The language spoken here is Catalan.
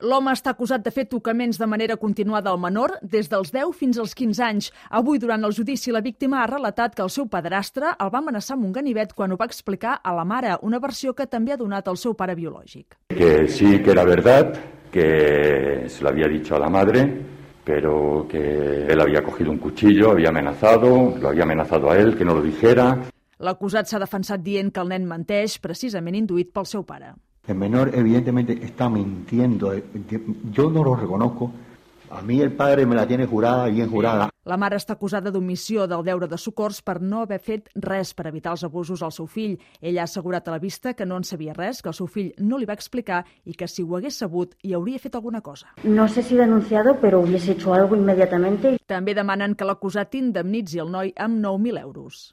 L'home està acusat de fer tocaments de manera continuada al menor des dels 10 fins als 15 anys. Avui, durant el judici, la víctima ha relatat que el seu padrastre el va amenaçar amb un ganivet quan ho va explicar a la mare, una versió que també ha donat el seu pare biològic. Que sí que era verdad, que se lo había dicho a la madre, pero que él había cogido un cuchillo, lo había amenazado a él, que no lo dijera. L'acusat s'ha defensat dient que el nen menteix, precisament induït pel seu pare. El menor evidentemente está mintiendo, yo no lo reconozco, a mí el padre me la tiene jurada, bien jurada. La mare està acusada d'omissió del deure de socors per no haver fet res per evitar els abusos al seu fill. Ella ha assegurat a la vista que no en sabia res, que el seu fill no li va explicar i que si ho hagués sabut hi hauria fet alguna cosa. No sé si denunciado, pero hubiese hecho algo inmediatamente. També demanen que l'acusat indemnitzi el noi amb 9.000 euros.